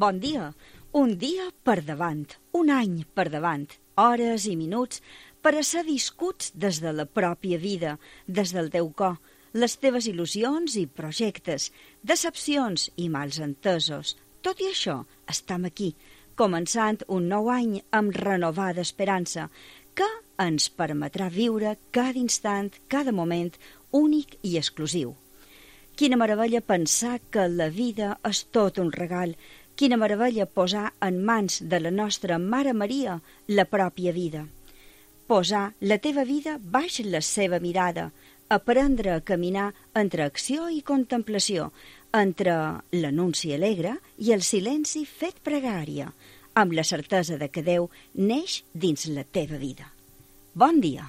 Bon dia, un dia per davant, un any per davant, hores i minuts per a ser viscuts des de la pròpia vida, des del teu cor, les teves il·lusions i projectes, decepcions i mals entesos. Tot i això, estem aquí, començant un nou any amb renovada esperança, que ens permetrà viure cada instant, cada moment, únic i exclusiu. Quina meravella pensar que la vida és tot un regal. Quina meravella posar en mans de la nostra Mare Maria la pròpia vida. Posar la teva vida baix la seva mirada, aprendre a caminar entre acció i contemplació, entre l'anunci alegre i el silenci fet pregària, amb la certesa de que Déu neix dins la teva vida. Bon dia!